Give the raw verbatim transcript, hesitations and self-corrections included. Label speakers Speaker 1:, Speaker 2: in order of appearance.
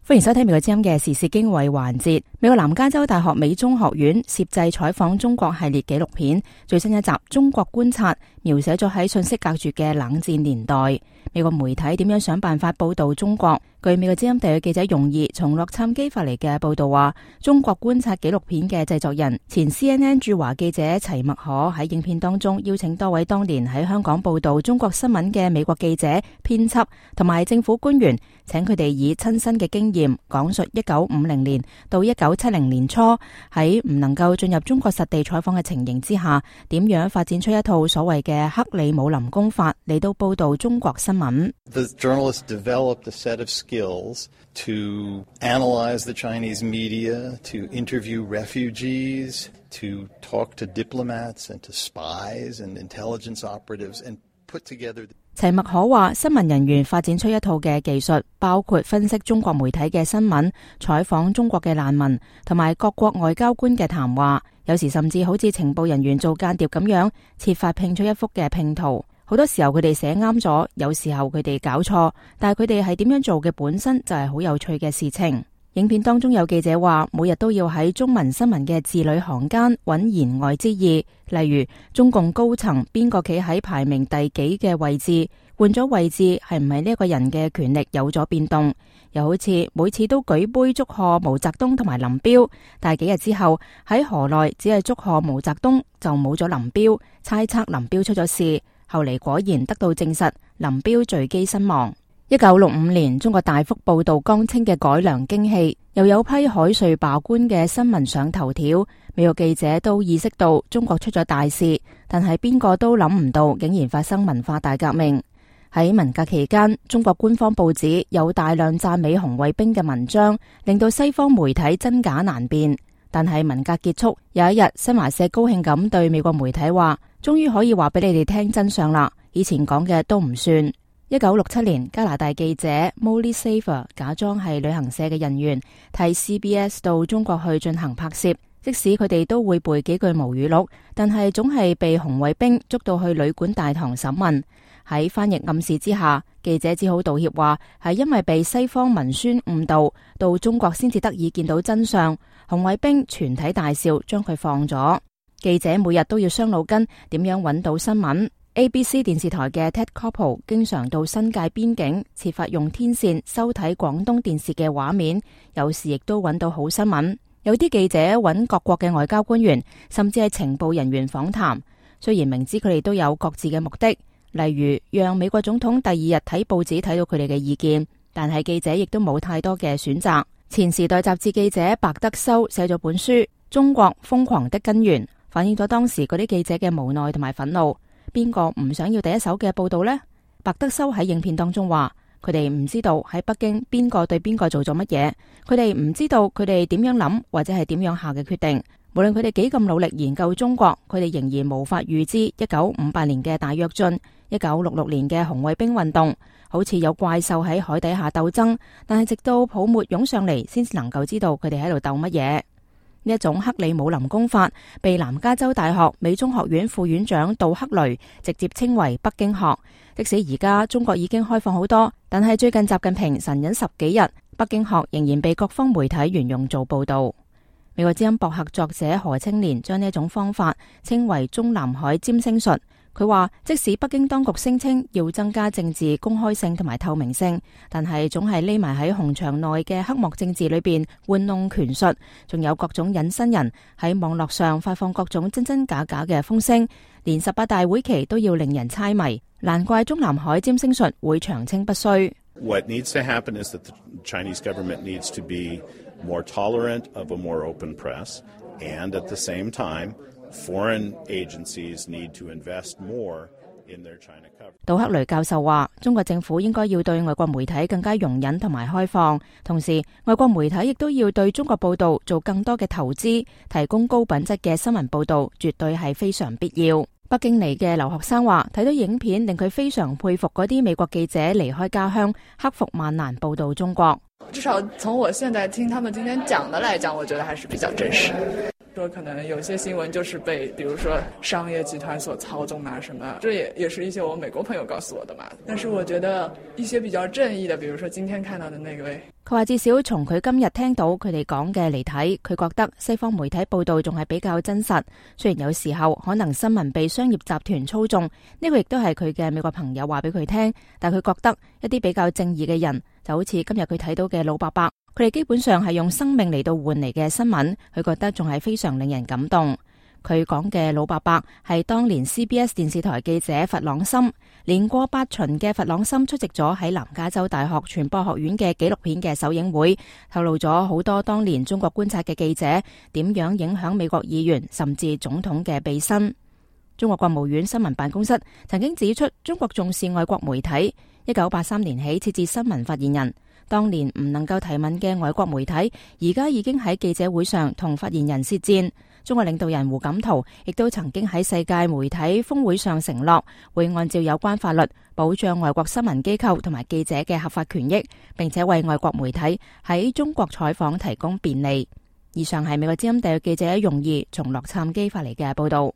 Speaker 1: 歡迎收聽美國之音嘅時事經緯環節。美國南加州大學美中學院攝製採訪中國系列紀錄片最新一集《中國觀察》，描寫咗喺信息隔絕嘅冷戰年代，美國媒體點樣想辦法報道中國。據美國之音特約記者容易從洛杉磯發嚟嘅報道話，中國觀察紀錄片嘅製作人前 C N N 駐華記者齊麥可喺影片當中邀請多位當年喺香港報道中國新聞嘅美國記者、編輯同埋政府官員，請佢哋以親身嘅經驗講述一九五零年到一九七零年初喺唔能夠進入中國實地採訪嘅情形之下，點樣發展出一套所謂嘅克里姆林功法嚟到報道中國新聞。
Speaker 2: The journalists developed a set of skills to analyze the Chinese media, to interview refugees, to talk to diplomats and to spies and intelligence operatives and put together the
Speaker 1: 齊麥可話，新聞人員發展出一套嘅技術，包括分析中國媒體嘅新聞、採訪中國嘅難民，同埋各國外交官嘅談話，有時甚至好似情報人員做間諜咁樣，設法拼出一幅嘅拼圖。好多時候佢哋寫啱咗，有時候佢哋搞錯，但係佢哋係點樣做嘅本身就係好有趣嘅事情。影片當中有記者話，每日都要喺中文新聞嘅字裏行間揾言外之意，例如中共高層邊個企喺排名第幾嘅位置，換咗位置係唔係呢一個人嘅權力有咗變動，又好似每次都舉杯祝賀毛澤東同埋林彪，但係幾日之後喺河內只係祝賀毛澤東就冇咗林彪，猜測林彪出咗事，後嚟果然得到證實，林彪墜機身亡。一九六五年，中國大幅報道江青嘅改良經氣，又有批海瑞罷官嘅新聞上頭條，美國記者都意識到中國出咗大事，但係邊個都諗唔到，竟然發生文化大革命。喺文革期間，中國官方報紙有大量讚美紅衛兵嘅文章，令到西方媒體真假難辨。但係文革結束，有一日，新華社高興咁對美國媒體話，終於可以話俾你哋聽真相啦，以前講嘅都唔算。一九六七年，加拿大記者 Molly Saver 假裝係旅行社嘅人員，替 C B S 到中國去進行拍攝。即使佢哋都會背幾句毛語錄，但係總係被紅衛兵捉到去旅館大堂審問。喺翻譯暗示之下，記者只好道歉話係因為被西方文宣誤導，到中國先至得以見到真相。紅衛兵全體大笑，將佢放咗。記者每日都要傷腦筋，點樣揾到新聞。A B C 電視台嘅 Ted Koppel 經常到新界邊境，設法用天線收睇廣東電視嘅畫面，有時亦都揾到好新聞。有啲記者揾各國嘅外交官員，甚至係情報人員訪談，雖然明知佢哋都有各自嘅目的，例如讓美國總統第二日睇報紙睇到佢哋嘅意見，但係記者亦都冇太多嘅選擇。前時代雜誌記者白德修寫咗本書《中國瘋狂的根源》，反映咗當時嗰啲記者嘅無奈同埋憤怒。邊個唔想要第一手嘅報道呢？白德修喺影片當中話，佢哋唔知道喺北京邊個對邊個做咗乜嘢，佢哋唔知道佢哋點樣諗或者係點樣下嘅決定。無論佢哋幾咁努力研究中國，佢哋仍然無法預知一九五八年嘅大躍進、一九六六年嘅紅衛兵運動，好似有怪獸喺海底下鬥爭，但係直到泡沫湧上嚟，先至能夠知道佢哋喺度鬥乜嘢。呢一種克里姆林功法被南加州大學美中學院副院長杜克雷直接稱為北京學。即使而家中國已經開放好多，但係最近習近平神隱十幾日，北京學仍然被各方媒體沿用做報道。美國之音博客作者何青年將呢一種方法稱為中南海占星術。佢話，即使北京當局聲稱要增加政治公開性同埋透明性，但係總係匿埋喺紅牆內嘅黑幕政治裏邊玩弄權術，仲有各種隱身人喺網絡上發放各種真真假假嘅風聲，連十八大會期都要令人猜謎。難怪中南海占星術會長青不衰。
Speaker 3: What needs to happen is that the Chinese government needs to be more tolerant of a more open press, and at the same time, foreign agencies need to invest more in their China coverage.
Speaker 1: 杜克雷教授話，中國政府應該要對外國媒體更加容忍同埋開放，同時外國媒體亦都要對中國報道做更多嘅投資，提供高品質嘅新聞報道，絕對係非常必要。北京嚟嘅留學生話，睇到影片令佢非常佩服嗰啲美國記者離開家鄉，克服萬難報道中國。
Speaker 4: 至少從我現在聽他們今天講的來講，我覺得還是比較真實。說可能有些新聞就是被比如說商業集團所操縱啊什麼，這也也是一些我美國朋友告訴我的嘛。但是我覺得一些比較正義的，比如說今天看到的那位，
Speaker 1: 佢話至少從佢今日聽到佢哋講嘅嚟睇，佢覺得西方媒體報道仲係比較真實，雖然有時候可能新聞被商業集團操縱，呢個亦都係佢嘅美國朋友話俾佢聽，但佢覺得一啲比較正義嘅人，就好似今日佢睇到嘅老伯伯，佢哋基本上係用生命嚟到換嚟嘅新聞，佢覺得仲係非常令人感動。佢講嘅老伯伯係當年 C B S 電視台記者弗朗森，年過八旬嘅弗朗森出席咗喺南加州大學傳播學院嘅紀錄片嘅首映會，透露咗好多當年中國觀察嘅記者點樣影響美國議員甚至總統嘅避身。中國國務院新聞辦公室曾經指出，中國重視外國媒體，一九八三年起設置新聞發言人。當年唔能夠提問嘅外國媒體，而家已經喺記者會上同發言人舌戰。中國領導人胡錦濤亦都曾經喺世界媒體峰會上承諾，會按照有關法律保障外國新聞機構同埋記者嘅合法權益，並且為外國媒體喺中國採訪提供便利。以上係美國之音特約記者容儀從洛杉磯發嚟嘅報道。